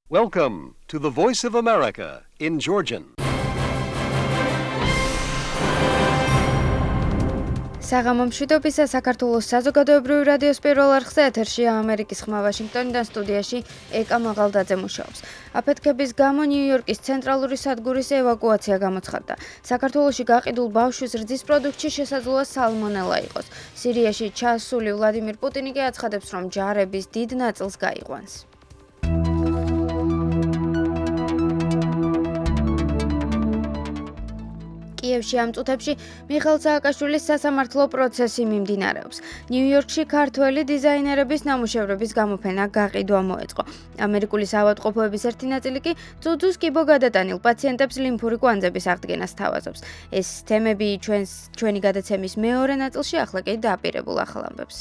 Welcome to the Voice of America in Georgian. საღამომშვიდობისა საქართველოს საზოგადოებრივი რადიოს პირველ არხზე ეთერშია ამერიკის ხმა ვაშინგტონიდან სტუდიაში ეკა მაღალდაძე მუშაობს. აფეთქების გამო ნიუ-იორკის ცენტრალური სადგურის ევაკუაცია გამოცხადდა. საქართველოში გაყიდულ ბავშვის რძის პროდუქტში შესაძლოა სალმონელა იყოს. სირიაში ჩასული ვლადიმირ პუტინი კი აცხადებს, რომ ჯარების დიდ ნაწილს გაიყვანს. კიევში ამ წუთებში მიხეილ სააკაშვილის სასამართლო პროცესი მიმდინარეობს. ნიუ-იორკში ქართველი დიზაინერების ნამუშევრების გამოფენა გაყიდვა მოეწყო. ამერიკული საავადმყოფოების ერთი ნაწილი კი ძუძუს კიბო გადატანილ პაციენტებს ლიმფური კვანძების აღდგენას თავაზობს. ეს თემები ჩვენი გადაცემის მეორე ნაწილში ახლა კი დააპირებულ ახალ ამბებს.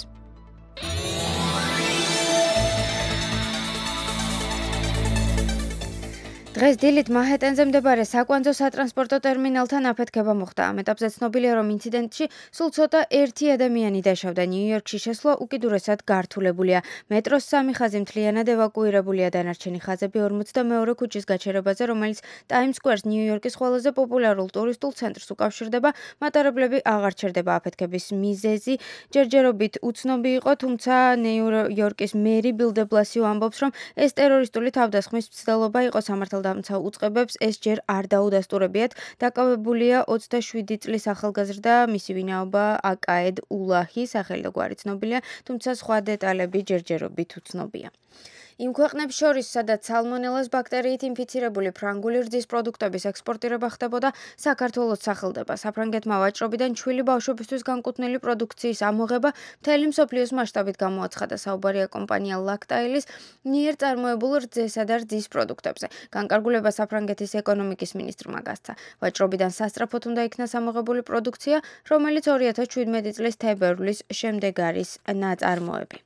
დღეს დილით მანჰეტენზე მდებარე საკვანძო სატრანსპორტო ტერმინალთან აფეთქება მოხდა. ამ ეტაპზე ცნობილია, რომ ინციდენტში სულ ცოტა ერთი ადამიანი დაშავდა. ნიუ-იორკში შესვლა უკიდურესად გართულებულია. მეტროს სამი ხაზი მთლიანად ევაკუირებულია, დანარჩენი ხაზები 42 ქუჩის გაჩერებაზე, რომელიც ტაიმს სკვერს ნიუ-იორკის ყველაზე პოპულარულ ტურისტულ ცენტრს უკავშირდება. მატარებლები აღარ ჩერდება. აფეთქების მიზეზი ჯერჯერობით უცნობი იყო, თუმცა ნიუ-იორკის მერი ბილ დე ბლასიო ამბობს, რომ ეს ტერორისტული თავდასხმის მცდელობა იყო. დამცავ უწყებებს ეს ჯერ არ დაუდასტურებიათ. დაკავებულია 27 წლის ახალგაზრდა, მისი ვინაობა აკაედ ულაჰი, სახელი და გვარი ცნობილია, თუმცა სხვა დეტალები ჯერჯერობით უცნობია. იმ ქვეყნებს შორის, სადაც სალმონელას ბაქტერიით ინფიცირებული ფრანგული რძის პროდუქტების ექსპორტირება ხდებოდა, საქართველოს სახელდება. საფრანგეთმა ვაჭრობიდან ჩვილი ბავშვებისთვის განკუთვნილი პროდუქციის ამოღება მთელი მსოფლიოს მასშტაბით გამოაცხადა. საუბარია კომპანია ლაქტაილის მიერ წარმოებულ რძესა და რძის პროდუქტებზე. განკარგულება საფრანგეთის ეკონომიკის მინისტრმა გასცა. ვაჭრობიდან სასწრაფოდ უნდა იქნას ამოღებული პროდუქცია, რომელიც 2017 წლის თებერვლის შემდეგ არის ნაწარმოები.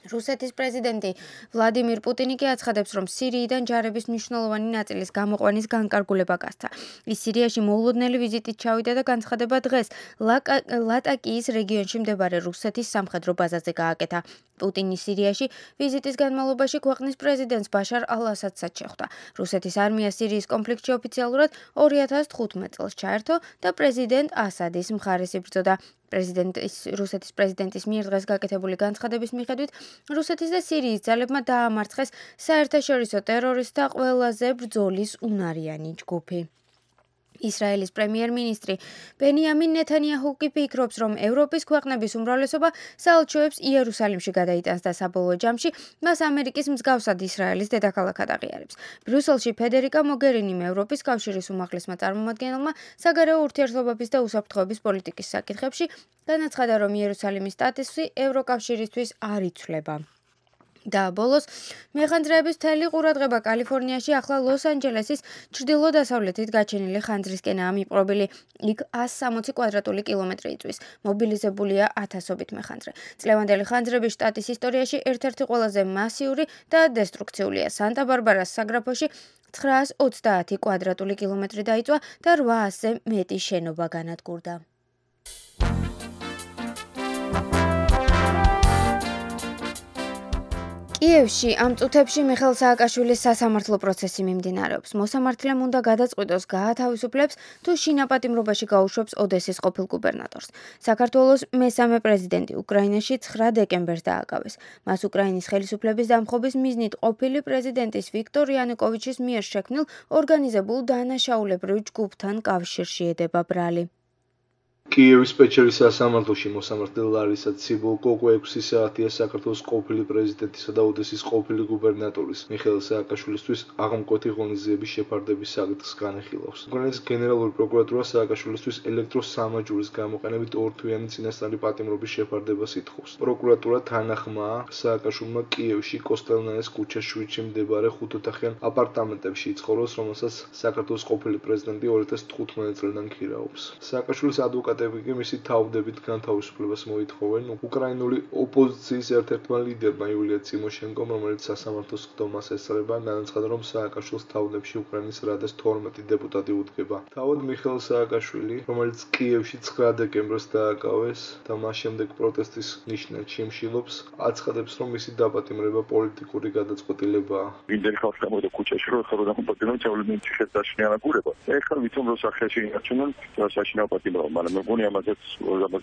რუსეთის პრეზიდენტი ვლადიმირ პუტინი კი აცხადებს, რომ სირიიდან ჯარების მნიშვნელოვანი ნაწილის გამოყვანის განკარგულება გასცა. ის სირიაში მოულოდნელი ვიზიტით ჩავიდა და განცხადება დღეს ლატაკიის რეგიონში მდებარე რუსეთის სამხედრო ბაზაზე გააკეთა. პუტინი სირიაში ვიზიტის განმავლობაში ქვეყნის პრეზიდენტს ბაშარ ალ-ასადსაც შეხვდა. რუსეთის არმია სირიის კონფლიქტში ოფიციალურად 2015 წელს ჩაერთო და პრეზიდენტ ასადის მხარეს იბრძოდა. რუსეთის პრეზიდენტის მიერ დღეს გაკეთებული განცხადების მიხედვით, რუსეთის და სირიის ძალებმა დაამარცხეს საერთაშორისო ტერორისტთა ყველაზე ბრძოლის უნარიანი ჯგუფი. ისრაელის პრემიერ-მინისტრი ბენიამინ ნეთანიაჰუ კი ფიქრობს, რომ ევროპის ქვეყნების უმრავლესობა საელჩოებს იერუსალიმში გადაიტანს და საბოლოო ჯამში მას ამერიკის მსგავსად ისრაელის დედაქალაქად აღიარებს. ბრიუსელში ფედერიკა მოგერინიმ ევროპის კავშირის უმაღლესმა წარმომადგენელმა საგარეო ურთიერთობების და უსაფრთხოების პოლიტიკის საკითხებში განაცხადა, რომ იერუსალიმის სტატუსი ევროკავშირისთვის არ იცვლება. და ბოლოს მეხანძრეების მთელი ყურადღება კალიფორნიაში ახლა ლოს-ანჯელესის ჩრდილო-დასავლეთით გაჩენილი ხანძრისკენაა მიპყრობილი. იქ 160 კვადრატული კილომეტრი იწვის. მობილიზებულია ათასობით მეხანძრე. წლევანდელი ხანძრები შტატის ისტორიაში ერთ-ერთი ყველაზე მასიური და დესტრუქციულია. სანტა-ბარბარას საგრაფოში 930 კვადრატული კილომეტრი დაიწვა და 800-ზე მეტი შენობა განადგურდა. კიევში ამ წუთებში მიხეილ სააკაშვილის სასამართლო პროცესი მიმდინარეობს. მოსამართლემ უნდა გადაწყვიტოს, გაათავისუფლებს თუ შინაპატიმრობაში გაუშვებს ოდესის ყოფილ გუბერნატორს. საქართველოს მესამე პრეზიდენტი უკრაინაში 9 დეკემბერს დააკავეს. მას უკრაინის ხელისუფლების დამხობის მიზნით ყოფილი პრეზიდენტის ვიქტორ იანუკოვიჩის მიერ შექმნილ ორგანიზებულ დანაშაულებრივ ჯგუფთან კავშირში ედება ბრალი. კიევის პეჩერის სასამართლოში მოსამართლე ლარისა ციბულკო 6 საათია საქართველოს ყოფილი პრეზიდენტისა და ოდესის ყოფილი გუბერნატორის მიხეილ სააკაშვილისთვის აღმკვეთი ღონისძიების შეფარდების საკითხს განეხილავს. უკრაინის გენერალური პროკურატურა სააკაშვილისთვის ელექტროსამაჯურის გამოყენებით ორთვიანი წინასწარი პატიმრობის შეფარდებას ითხოვს. პროკურატურა თანახმაა სააკაშვილმა კიევში კოსტელნაეს ქუჩას 7-ში მდებარე 5 ოთახიან აპარტამენტებში იცხოვროს, რომელსაც საქართველოს ყოფილი პრეზიდენტი 2015 წლიდან ქირაობს. სააკაშვილის ადვოკატი ადვოკატები კი მისი თავდებით განთავისუფლებას მოითხოვენ. უკრაინული ოპოზიციის ერთ-ერთმა ლიდერმა იულია წიმოშენკომ, რომელიც სასამართლოს ხდომას ესწრება, განაცხადა, რომ სააკაშვილის თავდებში უკრაინის რადას 12 დეპუტატი უდგება. თავად მიხეილ სააკაშვილი, რომელიც კიევში 9 დეკემბერს დააკავეს და მას შემდეგ პროტესტის ნიშნად შიმშილობს, აცხადებს, რომ მისი დაპატიმრება პოლიტიკური გადაწყვეტილებაა. ვინდენ ხალხს გამოდა ქუჩაში, რომ ხარო დაპატიმრება ჩავლდნენ ციხეს დაშინიანა გურება. ეხლა ვიცნობ, რომ სახეში ინარჩუნონ საშინაო პატიმრობა, მაგრამ მეგონი ამაზეც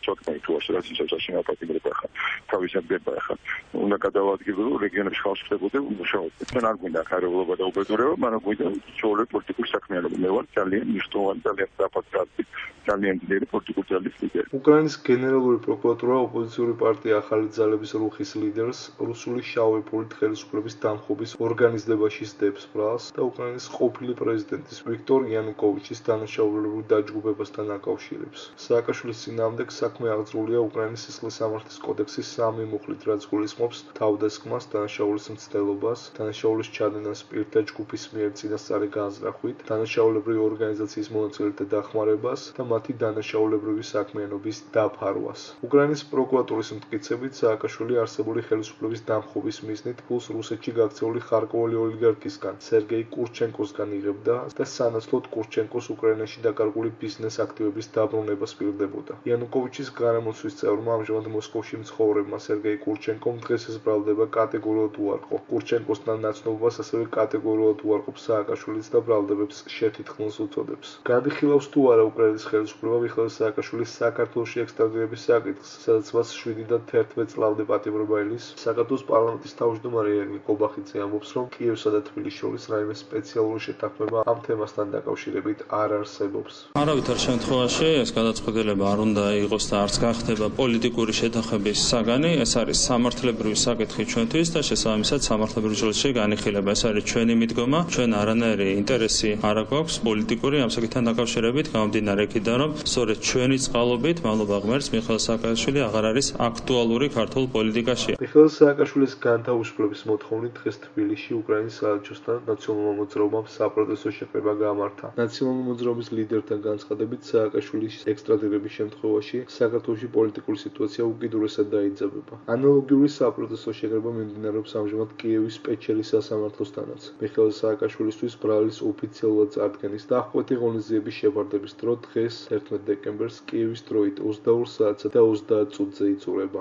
ჩოთნა ითუაშ, რაც ის საშინაო პატიმრება ხარ. თავისად გება ხარ. უნდა გადავადგილო რეგიონებში ხალხს ხდებოდა მუშაობა. თან არ გვინდა ხარებულობა და უბედურება, მაგრამ გვინდა ჩოლე პოლიტიკური საქმიანობა. მე ვარ ძალიან მნიშვნელოვანი, ძალიან დაფასებული, ძალიან ძლიერი პოლიტიკური ძალის ლიდერი. უკრაინის გენერალური პროკურატურა ოპოზიციური პარტია ახალი ძალების რუხის ლიდერს რუსული შავი ფულით ხელისუფლების დამხობის ორგანიზებაში სდებს ბრალს და უკრაინის ყოფილი პრეზიდენტის ვიქტორ იანუკოვიჩის დანაშაულებრივ დაჯგუფებასთან აკავშირებს. სააკაშვილის წინააღმდეგ საქმე აღძრულია უკრაინის სისხლის სამართლის კოდექსის 3 მუხლით, რაც გულისხმობს თავდასხმას, დანაშაულის მცდელობას, დანაშაულის ჩადენას პირთა ჯგუფის მიერ წინასწარი განზრახვით, დანაშაულებრივი ორგანიზაციის მონაწილეთა დახმარებას და მათი დანაშაულებრივი საქმიანობის დაფარვას. უკრაინის პროკურატურის მტკიცებით, სააკაშვილი არსებული ხელისუფლების დამხობის მიზნით ფულს რუსეთში გაქცეული ხარკოვული ოლიგარქისგან, სერგეი კურჩენკოსგან იღებდა და სანაცვლოდ კურჩენკოს უკრაინაში დაკარგული ბიზნეს აქტივების დაბრუნებას პირდებოდა. იანუკოვიჩის გარემოსთვის წევრმა ამჟამად მოსკოვში მცხოვრებმა სერგეი კურჩენკომ დღეს ეს ბრალდება კატეგორიულად უარყო. კურჩენკოსთან ნაცნობობას ასევე კატეგორიულად უარყოფს სააკაშვილიც და ბრალდებებს შეთითქმულს უწოდებს. განიხილავს თუ არა უკრაინის ხელისუფლება მიხეილ სააკაშვილის საქართველოში ექსტრადირების საკითხს, სადაც მას 7-დან 11 წლამდე პატიმრობა ელის. საქართველოს პარლამენტის თავმჯდომარე ირაკლი კობახიძე ამბობს, რომ კიევსა და თბილისის შორის რაიმე სპეციალური შეთანხმება ამ თემასთან დაკავშირებით არ არსებობს. არავითარ შემთხვევაში ეს გადაწყვეტილება არ უნდა იყოს და არც გახდება პოლიტიკური შეთანხმების საგანი. ეს არის სამართლებრივი საკითხი ჩვენთვის და შესაბამისად სამართლებრივ ჯილდოში განიხილება. ეს არის ჩვენი მიდგომა, ჩვენ არანაირი ინტერესი არ აქვს პოლიტიკური ამ საკითხთან დაკავშირებით, გამომდინარე იქიდან, რომ სწორედ ჩვენი წყალობით მადლობა ღმერთს მიხეილ სააკაშვილი აღარ არის აქტუალური ქართულ პოლიტიკაში. მიხეილ სააკაშვილის განთავისუფლების მოთხოვნით დღეს თბილისში უკრაინის საელჩოსთან ნაციონალურმა მოძრაობამ საპროტესტო შეკრება გაამართა. ნაციონალური მოძრაობის ლიდერთან განცხადებით, სააკაშვილის ექსტრადირების შემთხვევაში საქართველოში პოლიტიკური სიტუაცია უკიდურესად დაიძაბება. ანალოგიური საპროტესტო შეკრება მიმდინარეობს ამჟამად კიევის პეჩერის სასამართლოსთანაც. მიხეილ სააკაშვილისთვის ბრალის ოფიციალურად წარდგენის და აღკვეთი ღონისძიების შევარდების დრო დღეს 11 დეკემბერს კიევის დროით 22 საათსა და 30 წუთზე იწურება.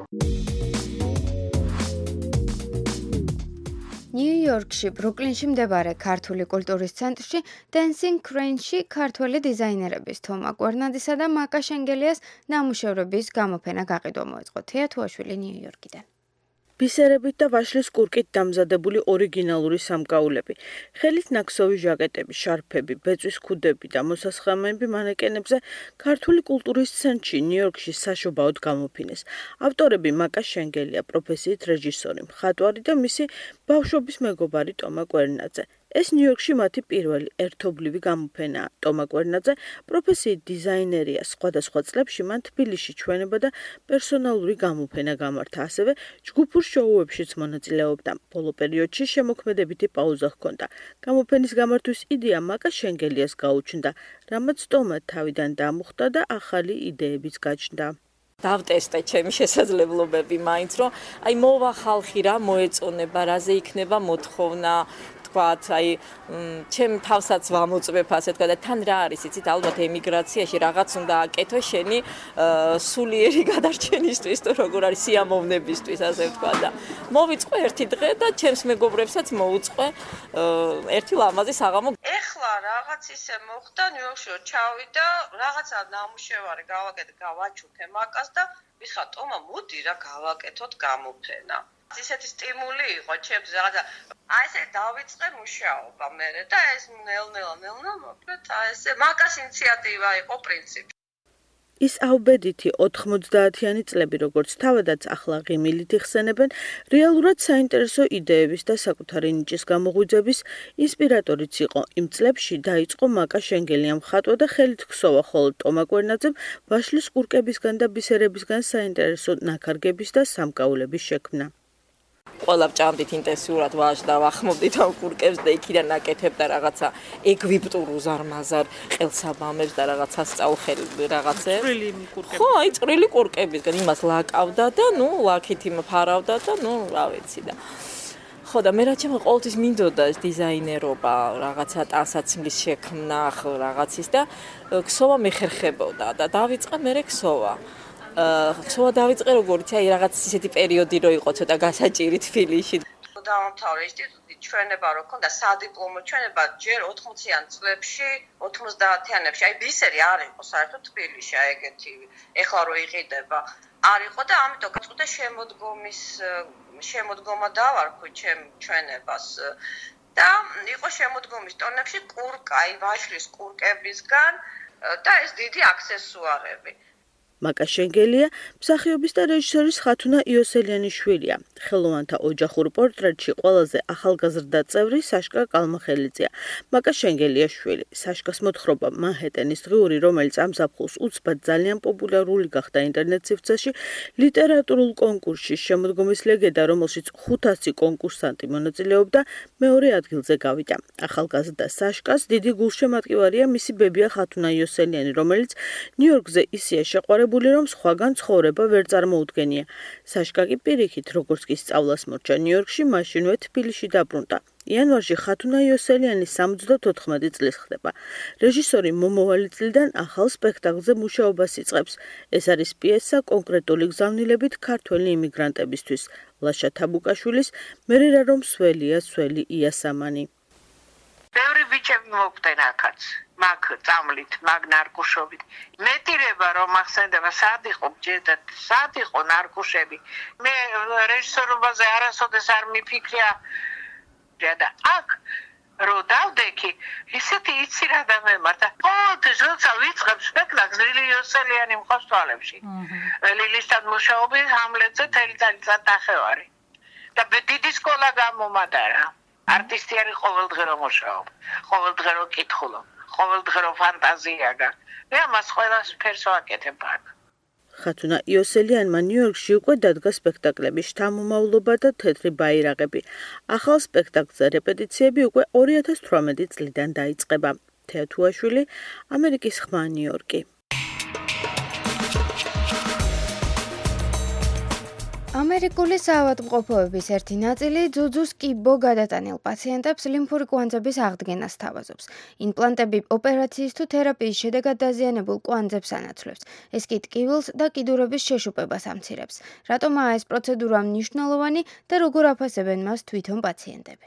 ნიუ-იორკში, ბრუკლინში მდებარე ქართული კულტურის ცენტრში Dancing Crane-ში ქართველი დიზაინერების თომა კვერნადისა და მაკა შენგელიას ნამუშევრების გამოფენა გაყიდვა მოეწყო. თეა თუაშვილი ნიუ-იორკიდან. ბისერებით და ვაშლის კურკით დამზადებული ორიგინალური სამკაულები, ხელით ნაქსოვი ჟაკეტები, შარფები, ბეწვის ქუდები და მოსასხამები მანეკენებზე ქართული კულტურის ცენტრში ნიუ-იორკში საშობაოდ გამოფინეს. ავტორები მაკა შენგელია, პროფესიით რეჟისორი, მხატვარი და მისი ბავშვობის მეგობარი ტომა კვერნაძე. ეს ნიუ-იორკში მათი პირველი ერთობლივი გამოფენაა. ტომა კვერნაძე პროფესიით დიზაინერია, სხვადასხვა წლებში მან თბილისში ჩვენება და პერსონალური გამოფენა გამართა, ასევე ჯგუფურ შოუებშიც მონაწილეობდა. ბოლო პერიოდში შემოქმედებითი პაუზა ჰქონდა. გამოფენის გამართვის იდეა მაკა შენგელიას გაუჩნდა, რამაც ტომა თავიდან დამუხტა და ახალი იდეებიც გაჩნდა. დავტესტე ჩემი შესაძლებლობები მაინც, რომ აი მოვა ხალხი რა მოეწონება, რაზე იქნება მოთხოვნა, თქვათ, აი ჩემ თავსაც ვამოწმებ ასე თქვა და თან რა არის, იცით, ალბათ ემიგრაციაში რაღაც უნდა აკეთო შენი სულიერი გადარჩენისთვის, თუ როგორ არის სიამოვნებისთვის, ასე თქვა და მოვიწყო ერთი დღე და ჩემს მეგობრებსაც მოუწყე ერთი ლამაზი საღამო. ეხლა რაღაც ისე მოხდა ნიუ-იორკში ჩავიდა, რაღაცა ნამუშევარი გავაჩუქე მაკას და მიხა ტომა მოდი რა გავაკეთოთ გამოფენა. ისეთი სტიმული იყო ჩემს რაღაცა აი ესე დავიწყე მუშაობა მე და ეს ნელ-ნელა მოკლედ აი ესე მაკას ინიციატივა იყო პრინციპი. ის აუბედითი 90-იანი წლები, როგორც თავადაც ახლა ღიმილით იხსენებენ, რეალურად საინტერესო იდეების და საკუთარი ნიჭის გამოღვიძების ინსპირატორიც იყო. იმ წლებში დაიწყო მაკა შენგელია მხატვა და ხელით ქსოვა, ხოლო ტომა კვერნაძემ ვაშლის კურკებისგან და ბისერებისგან საინტერესო ნაქარგების და სამკაულების შექმნა. ყველა ჭამდით ინტენსიურად ვაჟდა, ვახმობდით ამ კურკებს და იქიდან ნაკეთებდა რაღაცა ეგვიპტურ უზარმაზარ ყელსაბამებს და რაღაცა სწავლხელი რაღაცებს. ხო, აი წვრილი კურკებისგან იმას ლაკავდა და ლაქით იმფარავდა და რა ვიცი და ხო და მე რა ჩემ ყოველთვის მინდოდა ეს დიზაინერობა, რაღაცა ტანსაცმლის შექმნა, რაღაცის და ქსოვა მეხერხებოდა და დავიწყე მე ქსოვა. ქსოვა დავიწყე როგორც აი რაღაც ისეთი პერიოდი რო იყო ცოტა გასაჭირი თბილისში. დავამთავრე ინსტიტუტი ჩვენება რო ქონდა სადიპლომო ჩვენება ჯერ 80-იან წლებში, 90-იანებში, აი ბისერი არ იყო საერთოდ თბილისში აი ეგეთი, ეხლა რო იყიდება. არ იყო და ამიტომ გაწყდა შემოდგომა დავარქვი ჩემ ჩვენებას და იყო შემოდგომის ტონებში კურკა, აი ვაშლის კურკებისგან და ეს დიდი აქსესუარები. მაკა შენგელია მსახიობის და რეჟისორის ხათუნა იოსელიანის შვილია. ხელოვანთა ოჯახურ პორტრეტში ყველაზე ახალგაზრდა წევრი საშკა კალმახელიძეა. მაკა შენგელიას შვილი. საშკას მოთხრობა მანჰეტენის დღიური, რომელიც ამ ზაფხულს უცბად ძალიან პოპულარული გახდა ინტერნეტ სივრცეში, ლიტერატურულ კონკურსში შემოდგომის ლეგენდა, რომელშიც 500 კონკურსანტი მონაწილეობდა, მეორე ადგილზე გავიდა. ახალგაზრდა საშკას დიდი გულშემატკივარია მისი ბებია ხათუნა იოსელიანი, რომელიც ნიუ-იორკზე ისეა შეყვარებული, რომ სხვაგან ცხოვრება ვერ წარმოუდგენია. საშკა კი პირიქით, როგორც კი სწავლას მორჩა ნიუ-იორკში, მაშინვე თბილისში დაბრუნდა. იანვარში ხათუნა იოსელიანი 74 წლის ხდება. რეჟისორი მომავალი წლიდან ახალ სპექტაკლზე მუშაობას იწყებს. ეს არის პიესა კონკრეტული გზავნილებით ქართველი იმიგრანტებისთვის. ლაშა თაბუკაშვილის მერერა რომ სველია სველი იასამანი. ბევრი ბიჭები მოგდნენ აქაც, მაგ წამლით, მაგ ნარკუშობით. მეტირება რომ ახსენდება, სად იყო ჯედათ, სად იყო ნარკუშები. მე რეჟისორობაზე არასოდეს არ მიფიქრია და აქ რო დავდექი, ისეთი იცი რა დამემართა. ყოველთვის როცა ვიწყებ სპექტაკლს ლილი იოსელიანი მყავს თვალებში. ლილისთან მუშაობდი ჰამლეტზე თელი წელიწად ნახევარი. და დიდი სკოლა გამომადარა. არტისტი არის ყოველდღე რომ მუშაობ, ყოველდღე რომ კითხულობ, ყოველდღე რომ ფანტაზია გაქვს. მე ამას ყველაფერს ვაკეთებ აქ. ხათუნა იოსელიანმა ნიუ-იორკში უკვე დადგა სპექტაკლები შთამომავლობა და თეთრი ბაირაღები. ახალ სპექტაკლზე რეპეტიციები უკვე 2018 წლიდან დაიწყება. თეათუაშვილი, ამერიკის ხმა ნიუ-იორკი. ამერიკული საავადმყოფოების ერთი ნაწილი ძუძუს კიბო გადატანილ პაციენტებს ლიმფური კვანძების აღდგენას სთავაზობს. იმპლანტები ოპერაციის თუ თერაპიის შედეგად დაზიანებულ კვანძებს ანაცვლებს. ეს კი ტკივილს და კიდურების შეშუპებას ამცირებს. რატომაა ეს პროცედურა მნიშვნელოვანი და როგორ აფასებენ მას თვითონ პაციენტები?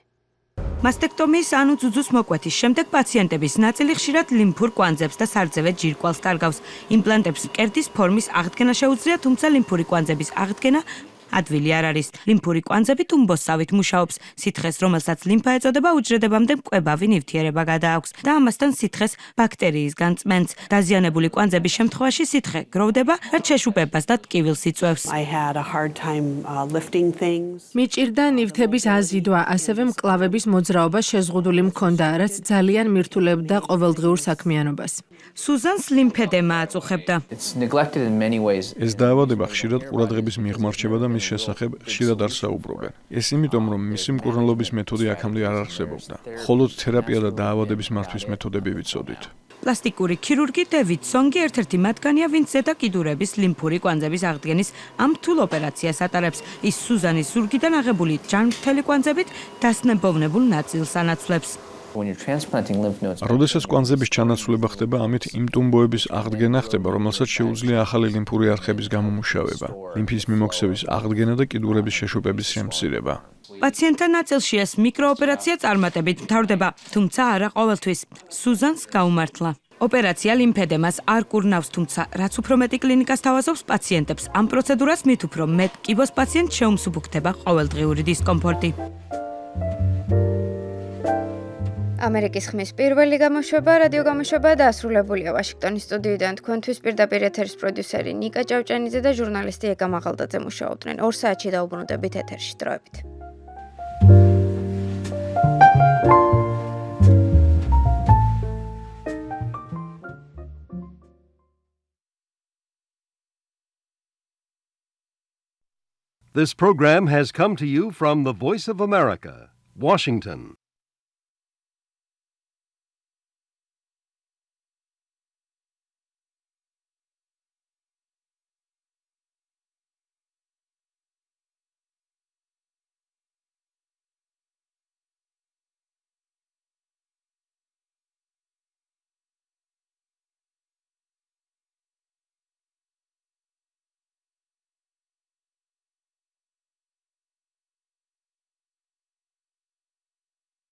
მასტექტომიის ანუ ძუძუს მოკვეთის შემდეგ პაციენტების ნაწილი ხშირად ლიმფურ კვანძებს და სარძევე ჯირკვალს კარგავს. იმპლანტებს მკერდის ფორმის აღდგენა შეუძლია, თუმცა ლიმფური კვანძების აღდგენა ადვილი არ არის. ლიმფური კვანძები თუმბოსავით მუშაობს. სითხეს, რომელსაც ლიმფა ეწოდება, უჯრედებამდე მკვებავი ნივთიერება გადააქვს და ამასთან სითხეს ბაქტერიისგან წმენს. დაზიანებული კვანძების შემთხვევაში სითხე გროვდება, რაც შეშუპებას და ტკივილს იწვევს. მიჭირდა ნივთების აზიდვა, ასევე მკლავების მოძრაობა შეზღუდული მქონდა, რაც ძალიან მირთულებდა ყოველდღიურ საქმიანობას. სუზანს ლიმფედემა აწუხებდა. ეს დაავადება ხშირად ყურადღების მიღმარჩება და მის შესახებ ხშირად არ საუბრობენ. ეს იმიტომ, რომ მისი მკურნალობის მეთოდი აქამდე არ არსებობდა. მხოლოდ თერაპია და დაავადების მართვის მეთოდები ვიცოდით. პლასტიკური ქირურგი დევიდ სონგი ერთ-ერთი მათგანია, ვინც ზედა კიდურების ლიმფური კვანძების აღდგენის ამ რთულ ოპერაციას ატარებს. ის სუზანის ზურგიდან აღებული ჯანმრთელი კვანძებით დასნებოვნებულ ნაწილს ანაცვლებს. როდესაც კვანძების ჩანაცვლება ხდება, ამით იმ ტუმბოების აღდგენა ხდება, რომელსაც შეუძლია ახალი ლიმფური არხების გამომუშავება, ლიმფის მიმოქცევის აღდგენა და კიდურების შეშუპების შემცირება. პაციენტთა ნაწილში ეს მიკროოპერაცია წარმატებით მთავრდება, თუმცა არა ყოველთვის. სუზანს გაუმართლა. ოპერაცია ლიმფედემას არ კურნავს, თუმცა რაც უფრო მეტი კლინიკას თავაზობს პაციენტებს, ამ პროცედურას მით უფრო მეტ კიბოს პაციენტს შეუმსუბუქდება ყოველდღიური დისკომფორტი. ამერიკის ხმის პირველი გამოშვება, რადიო გამოშვება დასრულებულია. ვაშინგტონის სტუდიიდან თქვენთვის პირდაპირ ეთერის პროდიუსერი ნიკა ჭავჭანიძე და ჟურნალისტი ეკა მაღალდაძე მუშაობდნენ. 2 საათში დაუბრუნდებით ეთერში. დროებით. This program has come to you from the Voice of America, Washington.